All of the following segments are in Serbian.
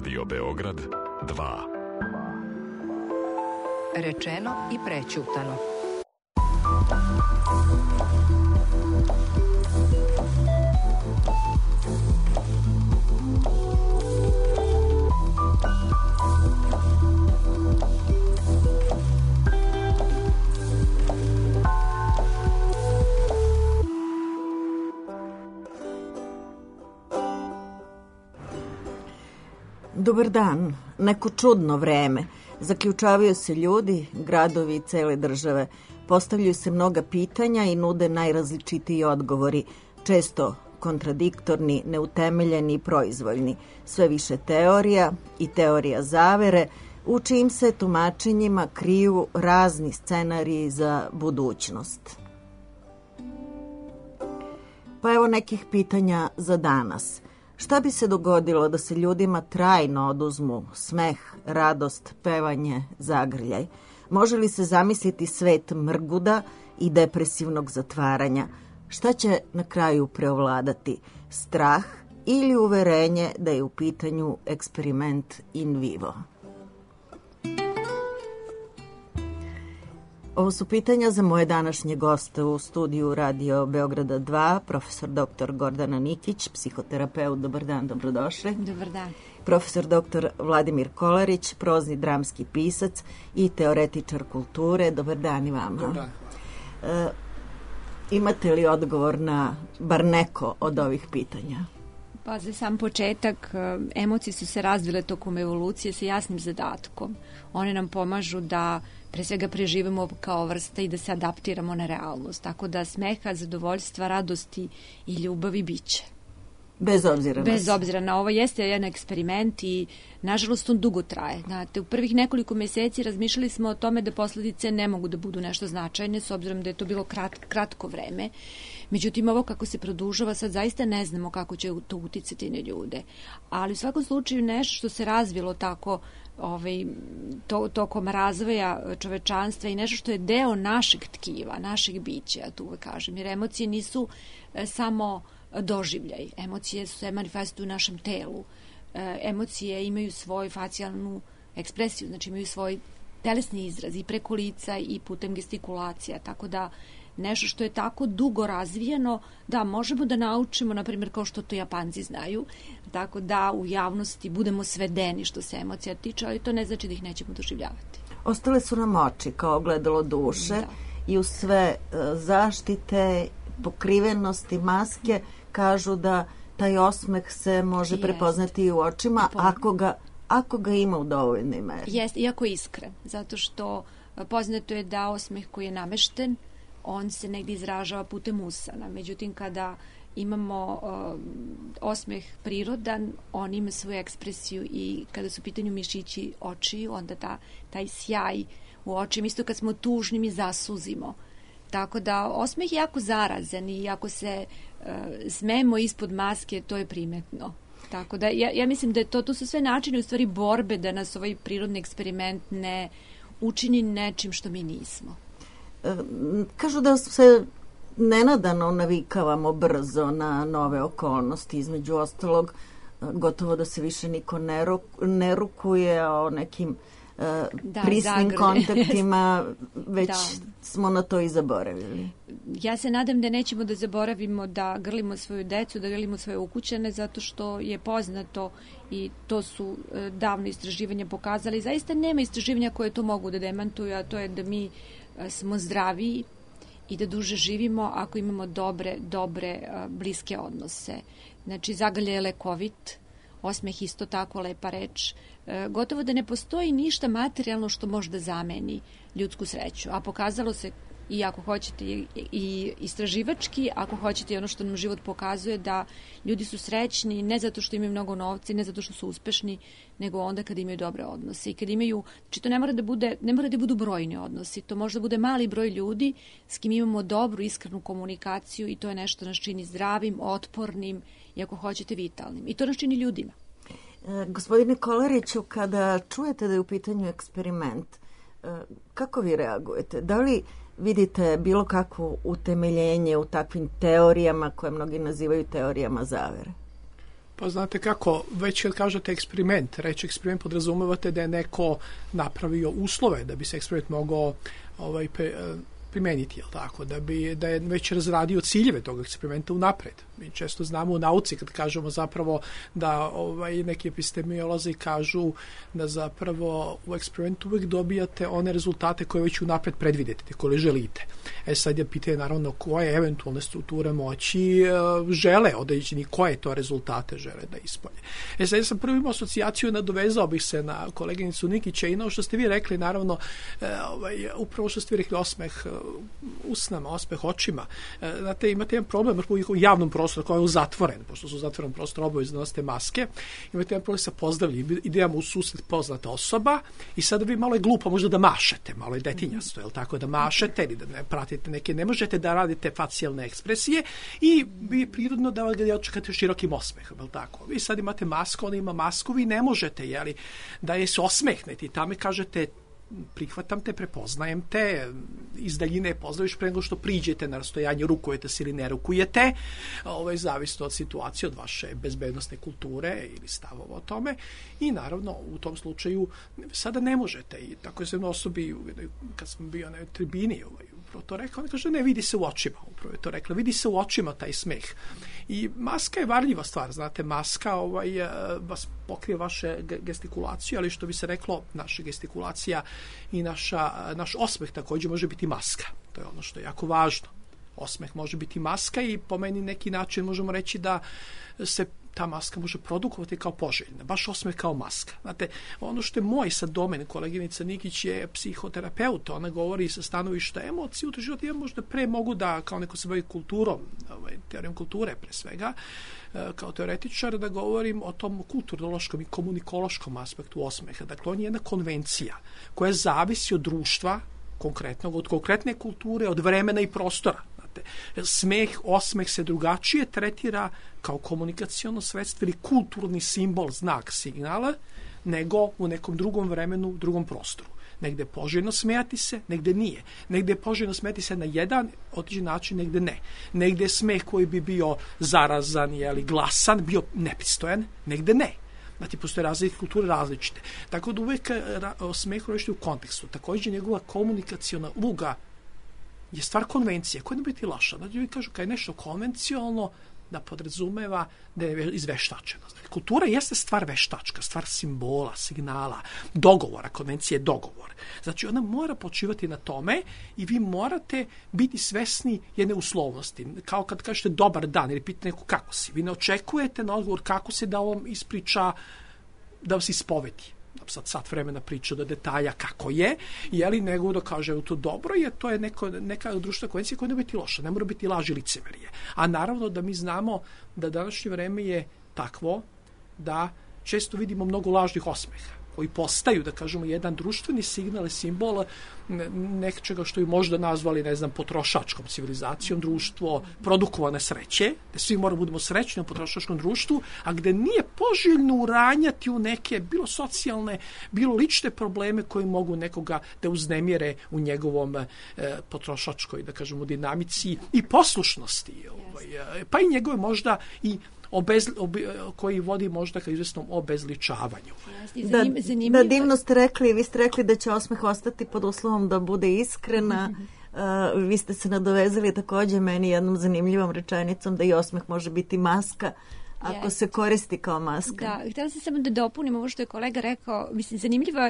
Radio Beograd 2. Rečeno i prećutano. Dobar dan, neko čudno vreme. Zaključavaju se ljudi, gradovi i cele države. Postavljaju se mnoga pitanja i nude najrazličitiji odgovori, često kontradiktorni, neutemeljeni i proizvoljni. Sve više teorija i teorija zavere, u čijim se tumačenjima kriju razni scenariji za budućnost. Pa evo nekih pitanja za danas. Šta bi se dogodilo da se ljudima trajno oduzmu smeh, radost, pevanje, zagrljaj? Može li se zamisliti svet mrguda i depresivnog zatvaranja? Šta će na kraju preovladati? Strah ili uverenje da je u pitanju eksperiment in vivo? Ovo su pitanja za moje današnje goste u studiju Radio Beograda 2, profesor dr. Gordana Nikić, psihoterapeut. Dobar dan, dobrodošli. Dobar dan. Profesor dr. Vladimir Kolarić, prozni dramski pisac i teoretičar kulture. Dobar dan i vama. Dobar dan. Imate li odgovor na bar neko od ovih pitanja? Pa za sam početak, emocije su se razvile tokom evolucije sa jasnim zadatkom. One nam pomažu da pre svega preživimo kao vrsta i da se adaptiramo na realnost. Tako da smeha, zadovoljstva, radosti i ljubavi biće. Bez obzira na ovo, jeste jedan eksperiment i nažalost on dugo traje. Znate, u prvih nekoliko meseci razmišljali smo o tome da posledice ne mogu da budu nešto značajne, s obzirom da je to bilo kratko vreme. Međutim, ovo kako se produžava, sad zaista ne znamo kako će to uticati na ljude. Ali u svakom slučaju nešto što se razvilo tako tokom razvoja čovečanstva i nešto što je deo našeg tkiva, našeg bića, ja tu uvek kažem, jer emocije nisu samo doživljaj. Emocije se manifestuju u našem telu. Emocije imaju svoju facijalnu ekspresiju, znači imaju svoj telesni izraz i preko lica i putem gestikulacija, tako da nešto što je tako dugo razvijeno, da možemo da naučimo, na primjer kao što to Japanci znaju, tako da u javnosti budemo svedeni što se emocija tiče, ali to ne znači da ih nećemo doživljavati. Ostale su nam oči kao ogledalo duše i uz sve zaštite, pokrivenosti, maske, kažu da taj osmeh se može prepoznati i u očima ako ga ima u dovoljnoj meri. Jeste, iako je iskren, zato što poznato je da osmeh koji je namešten, on se negdje izražava putem usana. Međutim, kada imamo osmeh prirodan, on ima svoju ekspresiju i kada su u pitanju mišići očiju, onda taj sjaj u očima, isto kad smo tužni mi zasuzimo. Tako da osmeh je jako zarazan i ako se smemo ispod maske, to je primetno. Tako da ja mislim da je to su sve načini u stvari borbe da nas ovaj prirodni eksperiment ne učini nečim što mi nismo. Kažu da se nenadano navikavamo brzo na nove okolnosti, između ostalog gotovo da se više niko ne rukuje o nekim prisnim kontaktima, već smo na to i zaboravili. Ja se nadam da nećemo da zaboravimo da grlimo svoju decu, da grlimo svoje ukućane, zato što je poznato i to su davno istraživanja pokazali. Zaista nema istraživanja koje to mogu da demantuju, a to je da mi smo zdraviji i da duže živimo ako imamo dobre bliske odnose. Znači, zagrljaj je lekovit, osmeh isto tako lepa reč. Gotovo da ne postoji ništa materijalno što može da zameni ljudsku sreću, a pokazalo se i ako hoćete i istraživački, ako hoćete i ono što nam život pokazuje, da ljudi su srećni ne zato što imaju mnogo novca i ne zato što su uspešni, nego onda kada imaju dobre odnose i kada imaju, znači to ne mora da budu brojni odnosi, to može da bude mali broj ljudi s kim imamo dobru, iskrenu komunikaciju i to je nešto nas čini zdravim, otpornim i ako hoćete vitalnim. I to nas čini ljudima. Gospodine Kolariću, kada čujete da je u pitanju eksperiment, kako vi reagujete? Da li vidite bilo kakvo utemeljenje u takvim teorijama koje mnogi nazivaju teorijama zavere? Pa znate kako, već kad kažete eksperiment, reći eksperiment podrazumevate da je neko napravio uslove da bi se eksperiment mogao primeniti, jel tako, da je već razradio ciljeve tog eksperimenta unapred. Mi često znamo u nauci kad kažemo zapravo da neki epistemolozi kažu da zapravo u eksperimentu uvijek dobijate one rezultate koje već unapred predvidite, koje želite. Sad je pitanje naravno koje eventualne strukture moći žele određeni, koje to rezultate žele da ispolje. Sad ja sam prvo imao asocijaciju, nadovezao bih se na koleginicu Nikića i na što ste vi rekli, naravno, upravo što ste vi rekli, osmeh usnama, osmeh očima. Znate, imate jedan problem u javnom prostoru koji je zatvoren, pošto su u zatvorenom prostoru obavezno nosite maske, imate jedan problem sa pozdravljanjem, idemo u susret poznata osoba i sada vi malo je glupo možda da mašete, malo je detinjasto, jel tako, da mašete ili da ne pratite neke, ne možete da radite facijalne ekspresije i vi je prirodno da ga očekate širokim osmehom, jel tako. Vi sad imate masku, ona ima masku, vi ne možete, jeli, da je se osmehnete i tamo kažete prihvatam te, prepoznajem te, iz daljine pozdraviš pre nego što priđete na rastojanje, rukujete se ili ne rukujete, zavisno od situacije, od vaše bezbednosne kulture ili stavova o tome i naravno u tom slučaju sada ne možete i tako je se jedno osobi, kad sam bio na tribini upravo to rekao, ona kaže ne, vidi se u očima, upravo je to rekla, vidi se u očima taj smeh i maska je varljiva stvar, znate, maska vas pokrije vaše gestikulaciju, ali što bi se reklo, naša gestikulacija i naš osmeh također može biti maska. To je ono što je jako važno. Osmeh može biti maska i po meni neki način možemo reći da se ta maska može produkovati kao poželjna, baš osmeh kao maska. Znate, ono što je moj sad domen, koleginica Nikić je psihoterapeut, ona govori sa stanovišta emocije, u životu ja možda pre mogu da, kao neko se bavi kulturom, teorijom kulture pre svega, kao teoretičar, da govorim o tom kulturološkom i komunikološkom aspektu osmeha. Dakle, on je jedna konvencija koja zavisi od društva, konkretnog, od konkretne kulture, od vremena i prostora. Osmeh se drugačije tretira kao komunikaciono sredstvo ili kulturni simbol, znak, signala, nego u nekom drugom vremenu, drugom prostoru. Negde je poželjno smejati se, negde nije. Negde je poželjno smejati se na jedan određen način, negde ne. Negde je smeh koji bi bio zarazan ili glasan, bio nepristojan, negde ne. Znači, postoje različite kulture različite. Tako da uvek smeh rešiti u kontekstu. Također njegova komunikaciona uloga je stvar konvencije, koja ne biti laša. Znači, vi kažu, kad je nešto konvencionalno, da podrazumeva da je izveštačeno. Znači, kultura jeste stvar veštačka, stvar simbola, signala, dogovora, konvencija je dogovor. Znači, ona mora počivati na tome i vi morate biti svesni jedne uslovnosti. Kao kad kažete dobar dan ili pitate neko kako si. Vi ne očekujete na odgovor kako se da vam ispriča, da vas ispovedi. Sad sat vremena priča do detalja kako je, nego da kaže to dobro, jer to je neka društvena konvencija koja ne biti loša, ne mora biti laž i licemerje. A naravno da mi znamo da današnje vreme je takvo da često vidimo mnogo lažnih osmeha koji postaju, da kažemo, jedan društveni signal i simbol nečega što bi možda nazvali, ne znam, potrošačkom civilizacijom, društvo produkovane sreće, da svi moramo budemo srećni u potrošačkom društvu, a gde nije poželjno uranjati u neke, bilo socijalne, bilo lične probleme koji mogu nekoga da uznemire u njegovom potrošačkoj, da kažemo, dinamici i poslušnosti, pa i njegove možda i koji vodi možda ka izvesnom obezličavanju. Da, divno ste rekli, vi ste rekli da će osmeh ostati pod uslovom da bude iskrena. Vi ste se nadovezali također meni jednom zanimljivom rečenicom da i osmeh može biti maska ako se koristi kao maska. Da, htjela sam samo da dopunim ovo što je kolega rekao. Mislim, zanimljivo,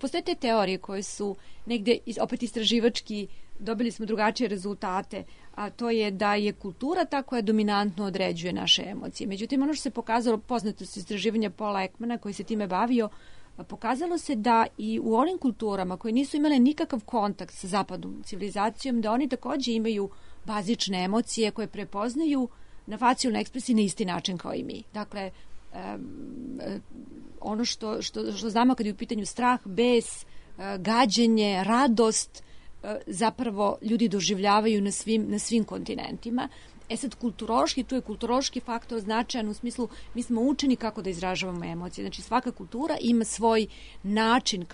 postoje te teorije koje su negde opet istraživački, dobili smo drugačije rezultate, a to je da je kultura ta koja dominantno određuje naše emocije. Međutim, ono što se pokazalo, poznato se istraživanja Paula Ekmana koji se time bavio, pokazalo se da i u onim kulturama koje nisu imale nikakav kontakt sa zapadnom civilizacijom, da oni također imaju bazične emocije koje prepoznaju na facijalnoj ekspresiji na isti način kao i mi. Dakle, ono što znamo kad je u pitanju strah, bes, gađenje, radost, zapravo ljudi doživljavaju na svim kontinentima. Sad, kulturološki, tu je kulturološki faktor značajan u smislu, mi smo učeni kako da izražavamo emocije. Znači, svaka kultura ima svoj način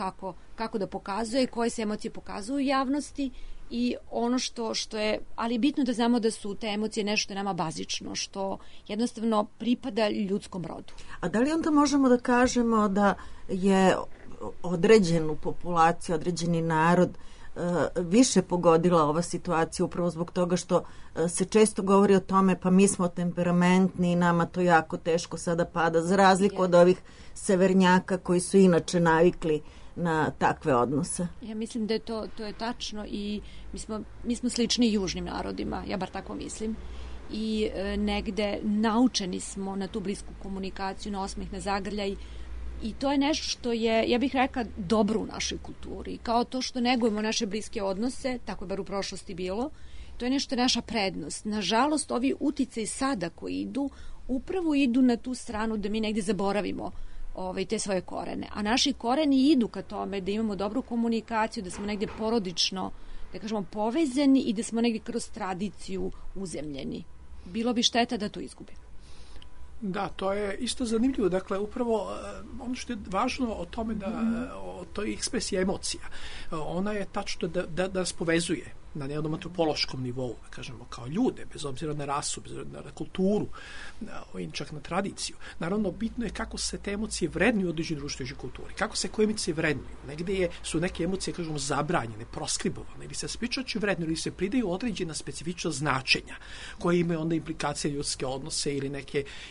kako da pokazuje, koje se emocije pokazuju u javnosti i ono što je, ali je bitno da znamo da su te emocije nešto nama bazično, što jednostavno pripada ljudskom rodu. A da li onda možemo da kažemo da je određenu populaciju, određeni narod više pogodila ova situacija upravo zbog toga što se često govori o tome pa mi smo temperamentni i nama to jako teško sada pada, za razliku od ovih severnjaka koji su inače navikli na takve odnose? Ja mislim da je to je tačno i mi smo slični južnim narodima, ja bar tako mislim. I negde naučeni smo na tu blisku komunikaciju, na osmeh, na zagrljaj. I to je nešto što je, ja bih rekla, dobro u našoj kulturi. Kao to što negujemo naše bliske odnose, tako je bar u prošlosti bilo, to je nešto naša prednost. Nažalost, ovi uticaji sada koji idu, upravo idu na tu stranu da mi negde zaboravimo te svoje korene. A naši koreni idu ka tome da imamo dobru komunikaciju, da smo negde porodično, da kažemo, povezani i da smo negde kroz tradiciju uzemljeni. Bilo bi šteta da to izgubimo. Da, to je isto zanimljivo. Dakle, upravo ono što je važno o tome o toj ekspresiji emocija, ona je tačno da nas povezuje na jednom antropološkom nivou, da kažemo, kao ljude, bez obzira na rasu, bez obzira na kulturu, čak na tradiciju. Naravno, bitno je kako se te emocije vrednuju u određenoj društvenoj kulturi, kako se koje emocije vrednuju. Negde su neke emocije, kažemo, zabranjene, proskribovane, ili se spričači vrednuju, ili se pridaju određena specifična značenja, koje imaju onda implikacije ljudske odnose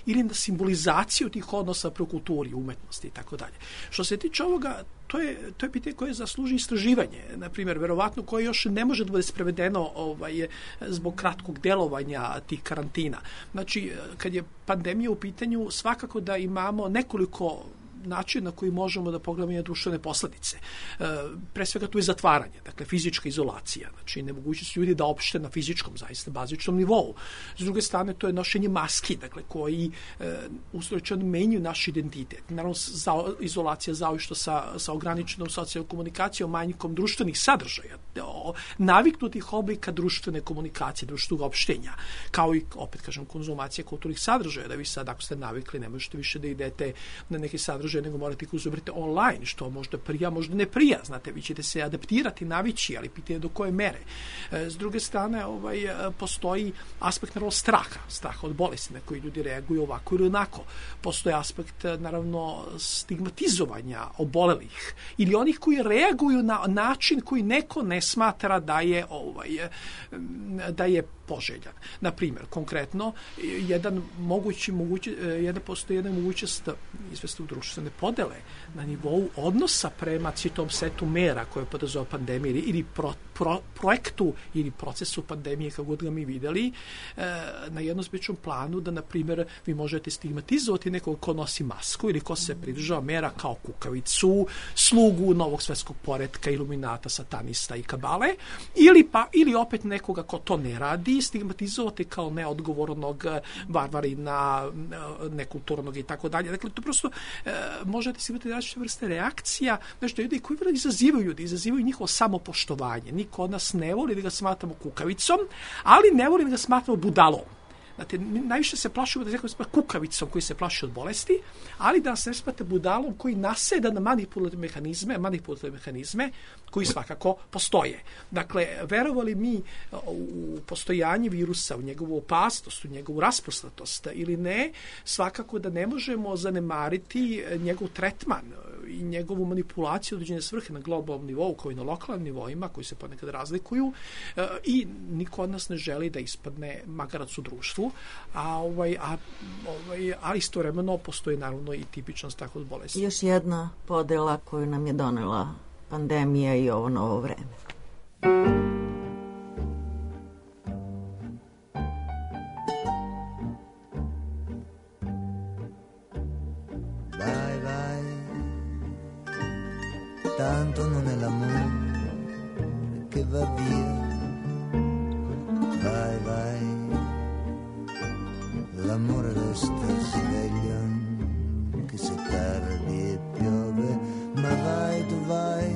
ili na simbolizaciju tih odnosa pro kulturi, umetnosti i tako dalje. Što se tiče ovoga, to je pitanje koje zasluži istraživanje, na primjer, verovatno koje još ne može da bude sprevedeno zbog kratkog delovanja tih karantina. Znači, kad je pandemija u pitanju, svakako da imamo nekoliko način na koji možemo da pogledamo društvene posledice. Pre svega tu je zatvaranje, dakle fizička izolacija, znači nemogućnost ljudi da opšte na fizičkom, zaista bazičnom nivou. S druge strane, to je nošenje maski, dakle koji uslovno menjaju naš identitet. Naravno, izolacija zaošto sa ograničenom socijalnom komunikacijom, manjkom društvenih sadržaja, naviknutih oblika društvene komunikacije, društvenog opštenja, kao i, opet kažem, konzumacija kulturnih sadržaja, da vi sad, ako ste navikli, ne možete više da idete na neki sadržaj, nego morate ih uzobriti online, što možda prija, možda ne prija. Znate, vi ćete se adaptirati, navići, ali pitanje do koje mere. S druge strane, postoji aspekt, naravno, straha od bolesti na koji ljudi reaguju ovako ili onako. Postoji aspekt, naravno, stigmatizovanja obolelih ili onih koji reaguju na način koji neko ne smatra da je poželjan. Na primjer, konkretno, postoji jedna mogućnost izvestnog društvene podele na nivou odnosa prema citom setu mera koje podrazumeva pandemije ili projektu ili procesu pandemije, kako god ga mi videli, na jednom zbičnom planu da, na primjer, vi možete stigmatizovati nekog ko nosi masku ili ko se pridržava mera kao kukavicu, slugu novog svetskog poretka, iluminata, satanista i kabale, ili opet nekoga ko to ne radi, stigmatizovati kao neodgovornog varvarina, nekulturnog i tako dalje. Dakle, to prosto možete si imati različite vrste reakcija, nešto ljudi koji izazivaju njihovo samopoštovanje. Niko od nas ne voli da ga smatramo kukavicom, ali ne voli da ga smatramo budalom. Znate, najviše se plašimo da se kukavicom koji se plaši od bolesti, ali da se ne smatra budalom koji naseda na manipulativne mehanizme koji svakako postoje. Dakle, verovali mi u postojanje virusa, u njegovu opasnost, u njegovu rasprostatost ili ne, svakako da ne možemo zanemariti njegov tretman i njegovu manipulaciju određene svrhe na globalnom nivou, kao i na lokalnim nivoima, koji se ponekad razlikuju, i niko od nas ne želi da ispadne magarac u društvu, a istovremeno postoji naravno i tipičnost tako od bolesti. Još jedna podela koju nam je donela pandemija i ovo novo vreme. Tanto non è l'amore che va via, vai, l'amore resta sveglio anche se tardi e piove, ma vai, tu vai,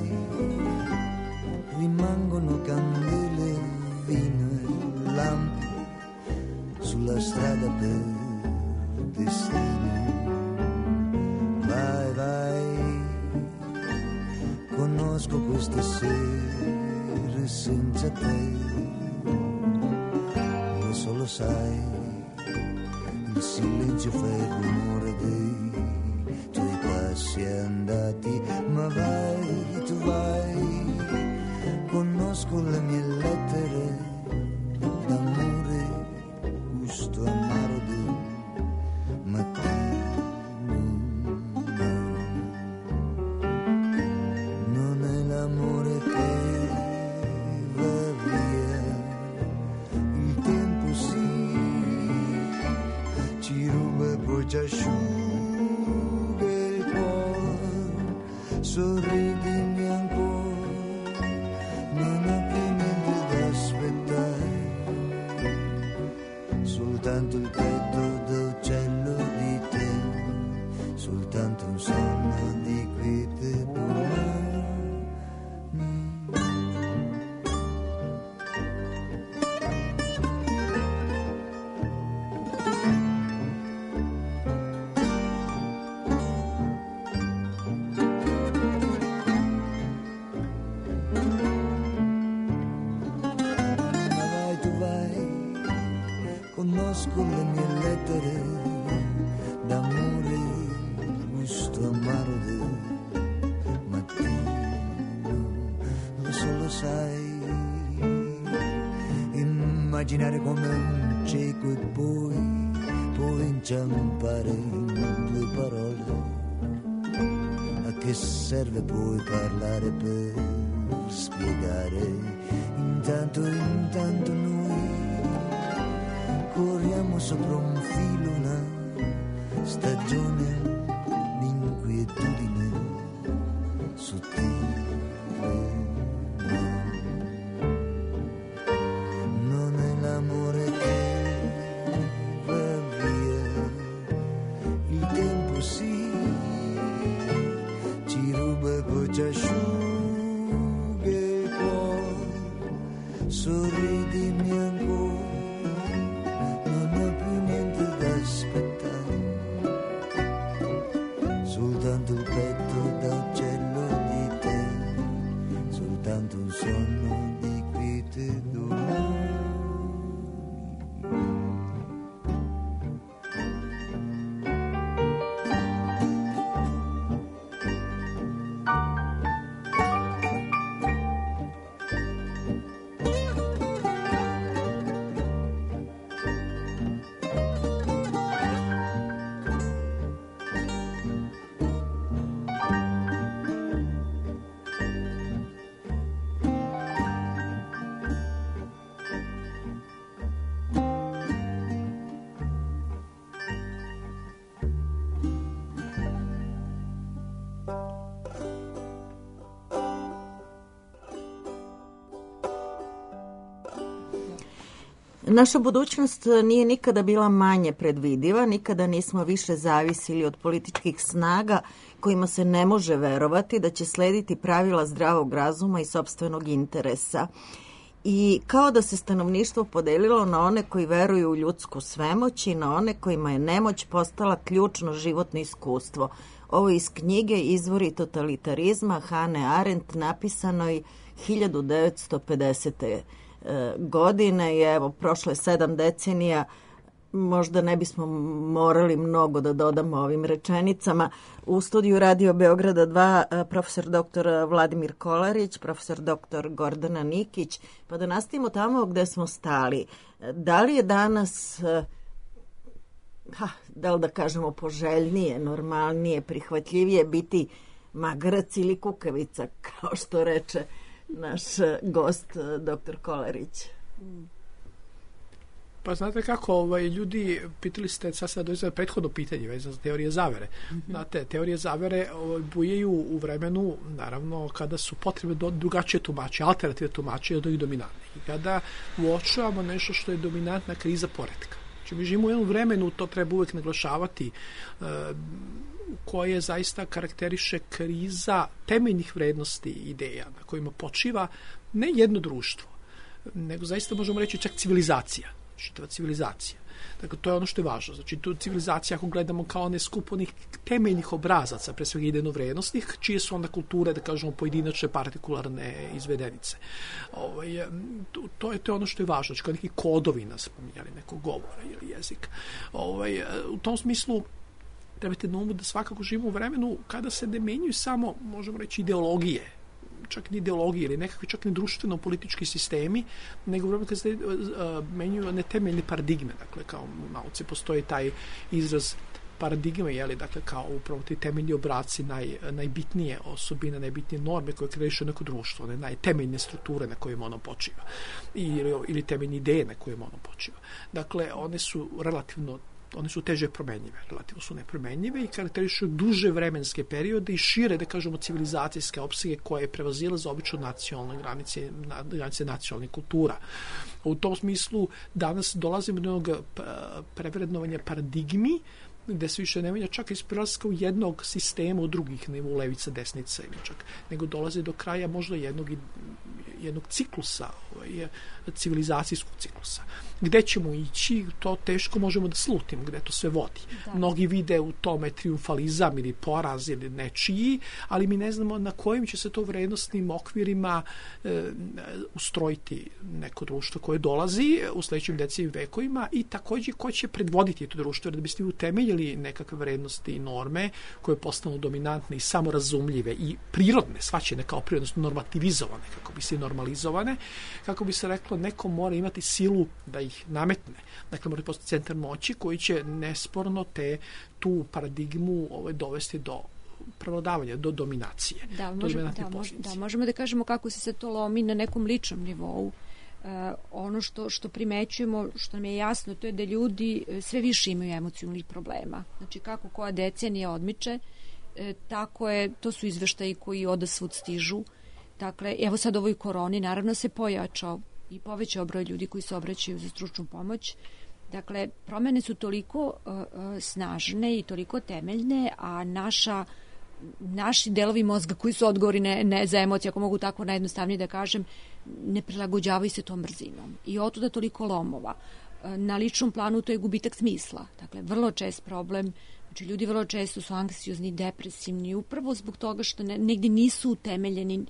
rimangono candele, vino e lampi sulla strada per destino, vai. Conosco queste sere senza senza te, lo solo sai, il silenzio fa il rumore dei tuoi passi andati, ma vai, tu vai, conosco le mie lettere d'amore, gusto amaro del mattino. Non è l'amore che va via, il tempo sì, ci ruba e poi ci asciuga il cuore, sorridimi ancora, non ho più niente da aspettare, soltanto il petto d'uccello di te, soltanto un sonno di quiete domani. Vai, tu vai, conosco le mie lettere d'amore, gusto amaro del mattino, lo solo sai, immaginare come un cieco e poi inciampare in due parole, a che serve poi parlare per spiegare, intanto noi corriamo sopra un filo, una stagione di inquietudine sottile. Non è l'amore che va via, il tempo sì, ci ruba e poi ci asciuga il cuore, sorridimi ancora, non ho più niente da aspettare, soltanto il petto d'uccello di te, soltanto un sonno di quiete domani. Naša budućnost nije nikada bila manje predvidiva, nikada nismo više zavisili od političkih snaga kojima se ne može verovati da će slediti pravila zdravog razuma i sopstvenog interesa. I kao da se stanovništvo podelilo na one koji veruju u ljudsku svemoć i na one kojima je nemoć postala ključno životno iskustvo. Ovo iz knjige Izvori totalitarizma Hannah Arendt, napisanoj 1950. godine i evo, prošle 7 decenija, možda ne bismo morali mnogo da dodamo ovim rečenicama. U studiju Radio Beograda 2 profesor dr. Vladimir Kolarić, profesor dr. Gordana Nikić, pa da nastavimo tamo gde smo stali. Da li je danas, da li da kažemo poželjnije, normalnije, prihvatljivije biti magarac ili kukavica, kao što reče naš gost, dr. Kolarić? Pa znate kako, ljudi, pitali ste, sad se dođe prethodno pitanje vezano za teorije zavere. Znate, teorije zavere bujaju u vremenu, naravno, kada su potrebne drugačije tumače, alternative tumače od ovih dominantnih. I kada uočavamo nešto što je dominantna kriza poretka. Znači, mi živimo u jednom vremenu, to treba uvek naglašavati, koje zaista karakteriše kriza temeljnih vrednosti ideja na kojima počiva ne jedno društvo, nego zaista možemo reći čak civilizacija, čitava civilizacija. Dakle, to je ono što je važno. Znači, tu civilizacija, ako gledamo kao one skup onih temeljnih obrazaca, pre svega idejno-vrednostnih, čije su onda kulture, da kažemo, pojedinačne, partikularne izvedenice. To je ono što je važno. Znači, kao neki kodovi nas spominjali, nekog govora ili jezika. U tom smislu, trebate na umu da svakako živimo u vremenu kada se ne menjuju samo, možemo reći, ideologije, čak ni ideologije ili nekakvi čak ni društveno-politički sistemi, nego u vremenu kada se menjuju one temeljne paradigme. Dakle, kao u nauci postoji taj izraz paradigme, dakle, kao upravo ti temeljni obraci, najbitnije osobine, najbitnije norme koje krešu neko društvo, one najtemeljne strukture na kojima ono počiva ili temeljne ideje na kojima ono počiva. Dakle, one su teže promenjive, relativno su nepromenjive i karakterišu duže vremenske periode i šire, da kažemo, civilizacijske opsege koje prevazilaze obično nacionalne granice nacionalnih kultura. U tom smislu danas dolazimo do jednog prevrednovanja paradigmi, gde se više ne menja čak iz prelaska u jednog sistema u drugih, ne u levica, desnica ili čak, nego dolaze do kraja možda jednog ciklusa, civilizacijskog ciklusa. Gde ćemo ići, to teško možemo da slutimo, gde to sve vodi. Da. Mnogi vide u tome triumfalizam ili poraz ili nečiji, ali mi ne znamo na kojim će se to vrednostnim okvirima ustrojiti neko društvo koje dolazi u sledećim decenijama i vekovima i takođe ko će predvoditi to društvo, da biste utemeljili nekakve vrednosti i norme koje postanu dominantne i samorazumljive i prirodne, svačene kao prirodno normativizovane, kako bi se normalizovane, kako bi se reklo, neko mora imati silu da ih nametne. Dakle, mora postati centar moći koji će nesporno tu paradigmu dovesti do prevladavanja, do dominacije. Da, možemo da kažemo kako se to lomi na nekom ličnom nivou. Ono što primećujemo, što nam je jasno, to je da ljudi sve više imaju emocionalnih problema. Znači, kako koja decenija odmiče, tako je, to su izveštaji koji odasvud stižu. Dakle, evo sad ovoj koroni naravno se pojačao i povećao broj ljudi koji se obraćaju za stručnu pomoć. Dakle, promene su toliko snažne i toliko temeljne, a naši delovi mozga koji su odgovorni za emocije, ako mogu tako najjednostavnije da kažem, ne prilagođavaju se tom brzinom. I otuda toliko lomova. Na ličnom planu to je gubitak smisla. Dakle, vrlo čest problem. Znači, ljudi vrlo često su anksiozni, depresivni, upravo zbog toga što negdje nisu utemeljeni,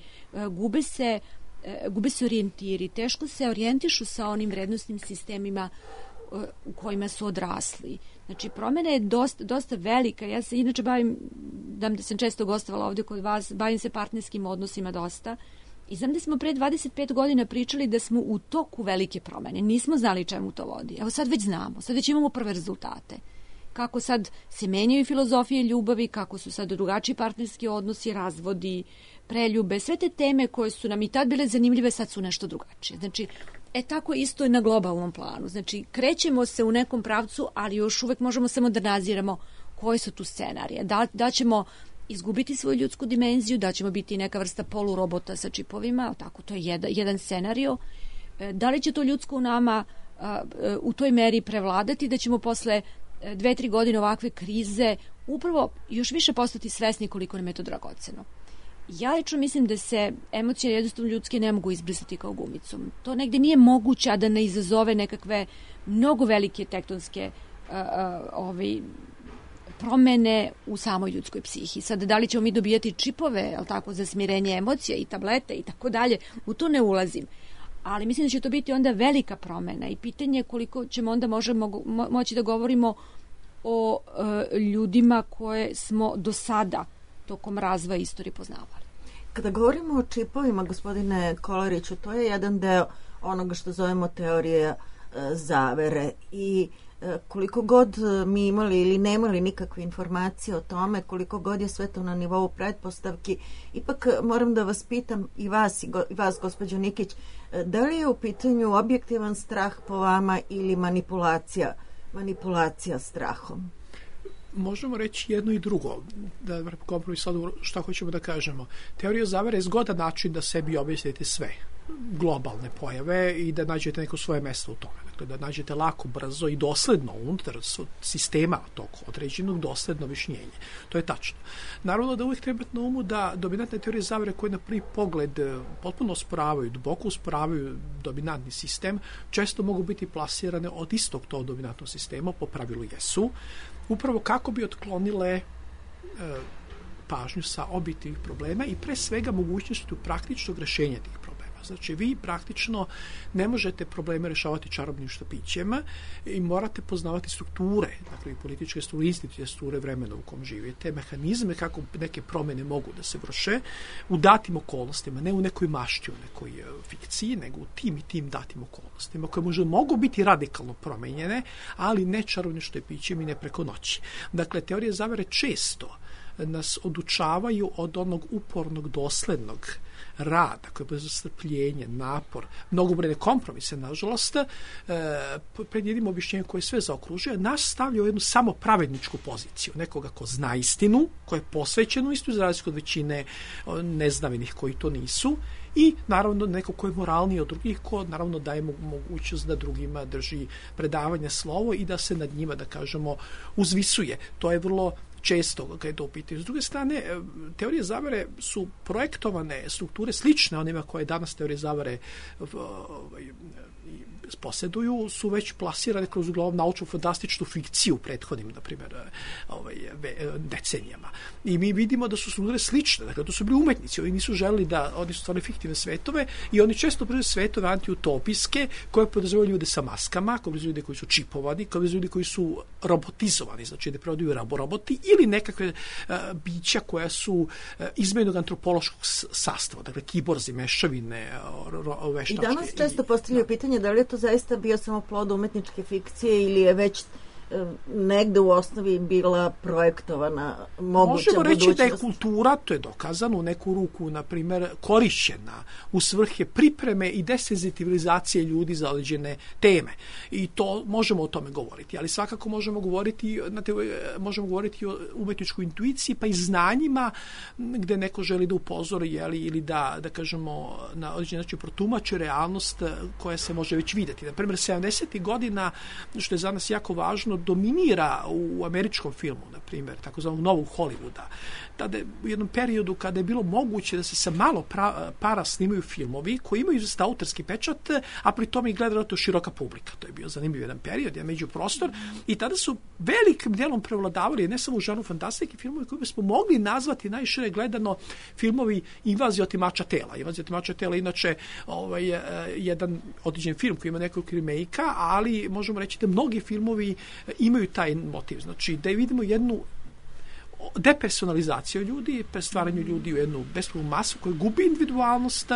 gube se orijentiri, teško se orijentišu sa onim vrednostnim sistemima u kojima su odrasli. Znači, promjena je dosta velika. Ja se inače da sam često gostovala ovdje kod vas, bavim se partnerskim odnosima dosta i znam da smo pre 25 godina pričali da smo u toku velike promjene. Nismo znali čemu to vodi. Evo sad već znamo, sad već imamo prve rezultate. Kako sad se menjaju filozofije ljubavi, kako su sad drugačiji partnerski odnosi, razvodi, preljube, sve te teme koje su nam i tad bile zanimljive, sad su nešto drugačije. Znači, tako isto je na globalnom planu. Znači, krećemo se u nekom pravcu, ali još uvek možemo samo da naziramo koje su tu scenarije. Da ćemo izgubiti svoju ljudsku dimenziju, da ćemo biti neka vrsta polurobota sa čipovima, tako, to je jedan scenario. Da li će to ljudsko u nama u toj meri prevladati, da ćemo posle 2-3 godine ovakve krize upravo još više postati svesni koliko nam je to dragoceno. Ja lično mislim da se emocije jednostavno ljudske ne mogu izbrisati kao gumicom. To negde nije moguće, a da ne izazove nekakve mnogo velike tektonske promene u samoj ljudskoj psihi. Sad, da li ćemo mi dobijati čipove, za smirenje emocija i tablete i tako dalje, u to ne ulazim. Ali mislim da će to biti onda velika promena i pitanje koliko ćemo onda moći da govorimo o ljudima koje smo do sada tokom razvoja istorije poznavali. Kada govorimo o čipovima, gospodine Kolariću, to je jedan deo onoga što zovemo teorija zavere i koliko god mi imali ili nemali nikakve informacije o tome, koliko god je sve to na nivou pretpostavki, ipak moram da vas pitam i vas gospođo Nikić, da li je u pitanju objektivan strah po vama ili manipulacija strahom? Možemo reći jedno i drugo, da kompromis sad šta hoćemo da kažemo. Teorija zavere je zgodan način da sebi objasnite sve. globalne pojave i da nađete neko svoje mesto u tome. Dakle, da nađete lako, brzo i dosledno unutar sistema tog određenog dosledno objašnjenje. To je tačno. Naravno da uvijek treba na umu da dominantne teorije zavere koje na prvi pogled potpuno osporavaju, duboko osporavaju dominantni sistem, često mogu biti plasirane od istog tog dominantnog sistema, po pravilu jesu, upravo kako bi otklonile pažnju sa objektivnih problema i pre svega mogućnosti praktičnog rešenja tih problema. Znači, vi praktično ne možete probleme rešavati čarobnim štapićem i morate poznavati strukture, dakle, i političke strukture, institucije strukture vremena u kom živite, mehanizme kako neke promene mogu da se vrše u datim okolnostima, ne u nekoj mašti, u nekoj fikciji, nego u tim i tim datim okolnostima, koje možda mogu biti radikalno promenjene, ali ne čarobnim štapićem i ne preko noći. Dakle, teorije zavere često nas odučavaju od onog upornog, doslednog rada, koje je strpljenje, napor, mnogobrojne kompromise, nažalost, pred jednim objašnjenjem koje sve zaokružuje, nas stavlja u jednu samopravedničku poziciju, nekoga ko zna istinu, ko je posvećen u istinu, za razliku od većine neznavenih koji to nisu, i naravno neko ko je moralniji od drugih, ko naravno daje mogućnost da drugima drži predavanje, slovo i da se nad njima, da kažemo, uzvisuje. To je vrlo često kada je to u pitanju. S druge strane, teorije zavere su projektovane strukture slične onima koje danas teorije zavere posjeduju, su već plasirane kroz uglavnom naučno-fantastičnu fikciju u prethodnim, na primjer, decenijama. I mi vidimo da su strukture slične, dakle, to su bili umetnici, oni nisu želeli oni su stvarno fiktivne svetove i oni često predstavljaju svetove antiutopijske koje podrazumevaju ljude sa maskama, koje podrazumevaju ljude koji su čipovani, koje podrazumevaju ljude koji su robotizovani, znači da prevodaju roboti ili nekakve bića koja su izmenog antropološkog sastava, dakle, kiborzi, mešavine, veštačke. I danas često postavljaju pitanje da li je to zaista bio samo plod umetničke fikcije ili je već negde u osnovi bila projektovana moguća možemo reći budućnost. Da je kultura, to je dokazano, u neku ruku, na primjer, korišćena u svrhe pripreme i desenzitivizacije ljudi za određene teme. I to možemo o tome govoriti, ali svakako možemo govoriti o umetničkoj intuiciji, pa i znanjima gde neko želi da upozori ili da kažemo na određen način protumači realnost koja se može već videti. Na primjer, 70. godina, što je za nas jako važno, dominira u američkom filmu, na primjer, takozvanog novog Hollywooda. Tada u jednom periodu kada je bilo moguće da se sa malo para snimaju filmovi koji imaju zaista autorski pečat, a pri tome i gleda to široka publika. To je bio zanimljiv jedan period, jedan međuprostor, i tada su velikim delom prevladavali ne samo u žanru fantastike filmovi koji bismo mogli nazvati najšire gledano filmovi Invazija otimača tela. Invazija otimača tela inače jedan određen film koji ima nekoliko remake-a, ali možemo reći da mnogi filmovi imaju taj motiv. Znači, da vidimo jednu depersonalizaciju ljudi, stvaranju ljudi u jednu bespravnu masu koja gubi individualnost,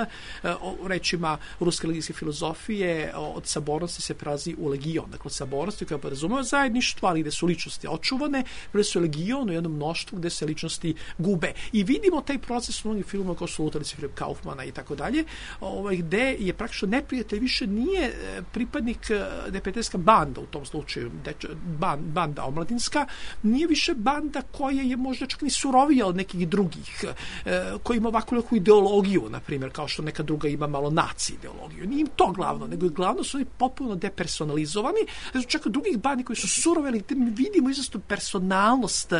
rečima ruske religijske filozofije, od sabornosti se prelazi u legion. Dakle, od sabornosti koja podrazumeva zajedništvo, ali gde su ličnosti očuvane, gde su legion u jednom mnoštvu gde se ličnosti gube. I vidimo taj proces u mnogim filmima kao su Lutalice Filipa Kaufmana i tako dalje, gde je praktično neprijatelj više nije pripadnik neprijateljska banda, u tom slučaju banda omladinska, nije više banda koja je možda čak ni surovija od nekih drugih, koji ima ovakvu neku ideologiju, na primjer, kao što neka druga ima malo naci ideologiju. Nije im to glavno, nego je glavno su oni potpuno depersonalizovani, znači čak od drugih bandi koji su suroveli, mi vidimo izvestnu personalnost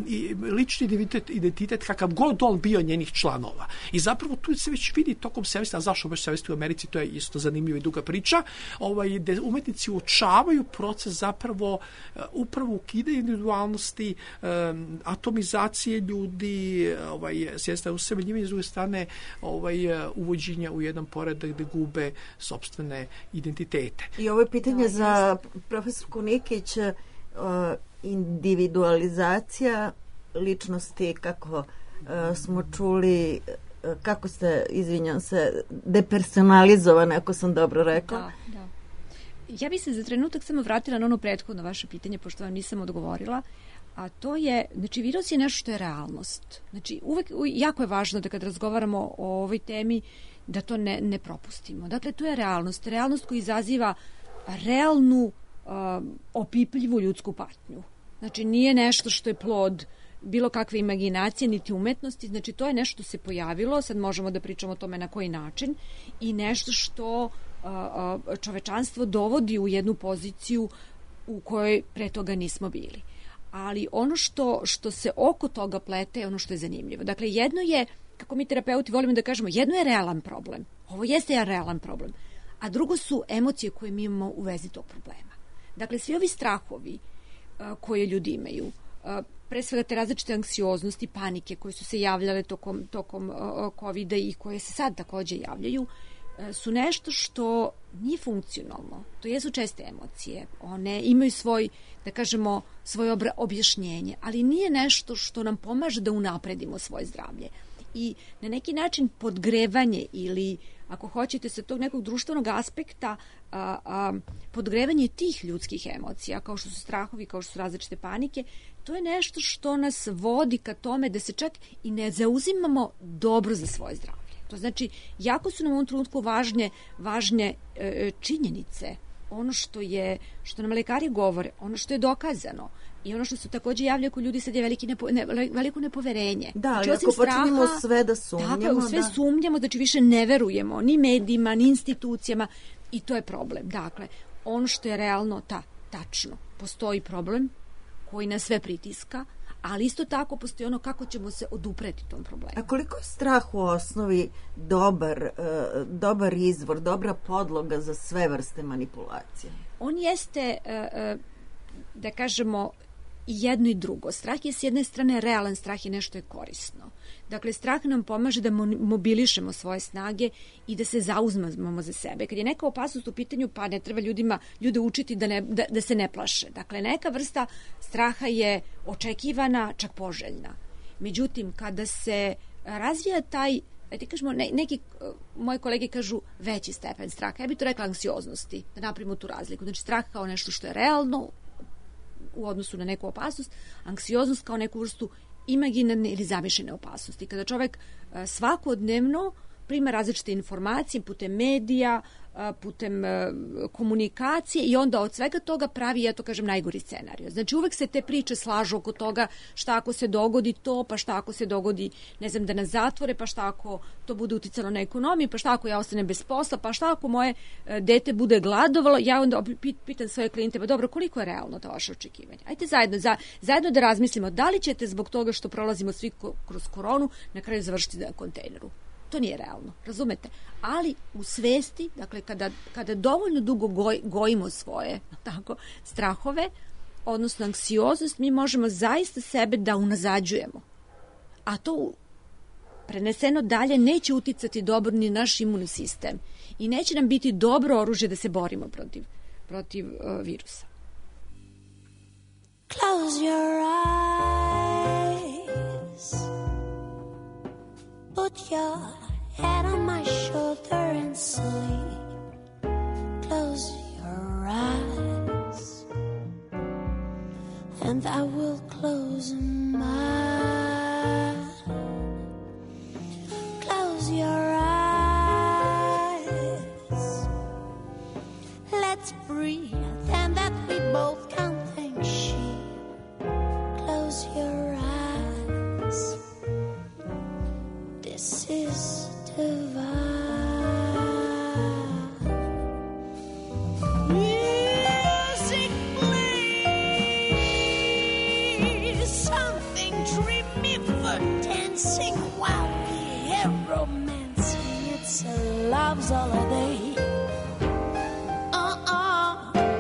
i lični identitet kakav god on bio njenih članova. I zapravo tu se već vidi tokom 70, a zašto baš 70 u Americi, to je isto zanimljiva i duga priča, gde umetnici uočavaju proces zapravo upravo ukidanja individualnosti, atomizacije ljudi, s jedne strane usemeljivanje, s druge strane uvođenja u jedan poredak gde gube sopstvene identitete. I ovo je pitanje za profesorku Nikić, individualizacija ličnosti, kako smo čuli, kako ste, izvinjam se, depersonalizovane, ako sam dobro rekla. Da. Ja bih se za trenutak samo vratila na ono prethodno vaše pitanje, pošto vam nisam odgovorila, a to je, znači, virus je nešto što je realnost. Znači, uvek, jako je važno da kad razgovaramo o ovoj temi, da to ne propustimo. Dakle, to je realnost. Realnost koja izaziva realnu, opipljivu ljudsku patnju. Znači, nije nešto što je plod bilo kakve imaginacije, niti umetnosti, znači to je nešto što se pojavilo, sad možemo da pričamo o tome na koji način, i nešto što čovečanstvo dovodi u jednu poziciju u kojoj pre toga nismo bili. Ali ono što se oko toga plete je ono što je zanimljivo. Dakle, jedno je, kako mi terapeuti volimo da kažemo, jedno je realan problem. Ovo jeste jedan realan problem. A drugo su emocije koje mi imamo u vezi tog problema. Dakle, svi ovi strahovi koje ljudi imaju, pre svega te različite anksioznosti, panike koje su se javljale tokom COVID-a i koje se sad takođe javljaju, su nešto što nije funkcionalno. To jesu česte emocije. One imaju svoj, da kažemo, svoje objašnjenje, ali nije nešto što nam pomaže da unapredimo svoje zdravlje. I na neki način podgrevanje ili, ako hoćete, sa tog nekog društvenog aspekta, podgrevanje tih ljudskih emocija, kao što su strahovi, kao što su različite panike, to je nešto što nas vodi ka tome da se čak i ne zauzimamo dobro za svoje zdravlje. To znači, jako su nam u ovom trenutku važne činjenice, ono što nam lekari govore, ono što je dokazano. I ono što se takođe javlja kod ljudi sad je veliko nepoverenje. Da, znači, ako počinimo sve da sumnjamo. Tako, sve sumnjamo, znači više ne verujemo ni medijima, ni institucijama, i to je problem. Dakle, ono što je realno, tačno, postoji problem koji nas sve pritiska, ali isto tako postoji ono kako ćemo se odupreti tom problemu. A koliko je strah u osnovi dobar izvor, dobra podloga za sve vrste manipulacije? On jeste, da kažemo, i jedno i drugo. Strah je s jedne strane realan, strah je nešto je korisno. Dakle, strah nam pomaže da mobilišemo svoje snage i da se zauzmemo za sebe. Kad je neka opasnost u pitanju, pa ne treba ljude učiti da se ne plaše. Dakle, neka vrsta straha je očekivana, čak poželjna. Međutim, kada se razvija taj, ti kažemo, neki moji kolege kažu veći stepen straha, ja bih to rekla anksioznosti, da napravimo tu razliku. Znači, strah kao nešto što je realno u odnosu na neku opasnost, anksioznost kao neku vrstu imaginarne ili zamišljene opasnosti. Kada čovek svakodnevno prima različite informacije putem medija, putem komunikacije i onda od svega toga pravi, ja to kažem, najgori scenarij. Znači uvek se te priče slažu oko toga šta ako se dogodi to, pa šta ako se dogodi, ne znam, da nas zatvore, pa šta ako to bude uticalo na ekonomiju, pa šta ako ja ostanem bez posla, pa šta ako moje dete bude gladovalo. Ja onda pitam svoje klijente, pa dobro, koliko je realno to vaše očekivanje? Ajde zajedno da razmislimo da li ćete zbog toga što prolazimo svi kroz koronu na kraju završiti na kontejneru. To nije realno, razumete? Ali u svesti, dakle, kada dovoljno dugo gojimo svoje strahove, odnosno anksioznost, mi možemo zaista sebe da unazađujemo. A to preneseno dalje neće uticati dobro ni naš imunni sistem i neće nam biti dobro oružje da se borimo protiv virusa. Close your eyes. Put your head on my shoulder and sleep. Close your eyes, and I will close mine. Close your eyes. Let's breathe, and that we both can think sheep. Close your eyes. This is divine. Music, please. Something dreamy for dancing while we hear romancing. It's a love's holiday.